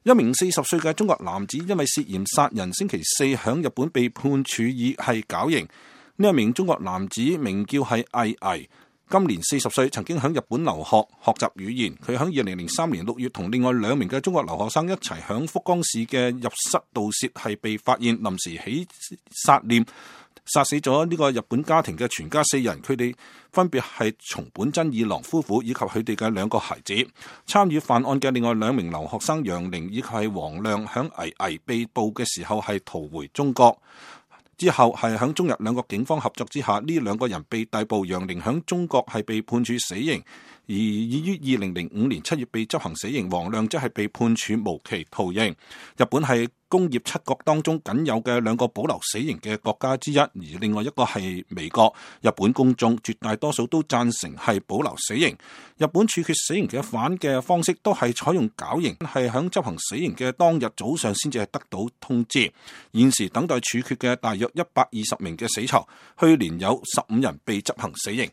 一名40歲嘅中國男子因為涉嫌殺人，星期四響日本被判處以係絞刑。呢一名中國男子名叫係魏巍，今年40歲，曾經響日本留學習語言。佢響2003年6月同另外2名嘅中國留學生一齊響福岡市嘅入室盜竊係被發現，臨時起殺念，殺死咗呢個日本家庭嘅全家4人，佢哋分別係松本真二郎夫婦以及佢哋嘅2個孩子。參與犯案嘅另外2名留學生楊寧以及係黃亮，響魏巍被捕嘅時候係逃回中國。之後係響中日2個警方合作之下，呢2個人被逮捕。楊寧響中國係被判處死刑，而已於2005年7月被執行死刑。黃亮則係被判處無期徒刑。日本係工業7國當中僅有嘅2個保留死刑嘅國家之一，而另外一個係美國。日本公眾絕大多數都贊成係保留死刑。日本處決死刑嘅犯嘅方式都係採用絞刑，係響執行死刑嘅當日早上先至係得到通知。現時等待處決嘅大約120名嘅死囚，去年有15人被執行死刑。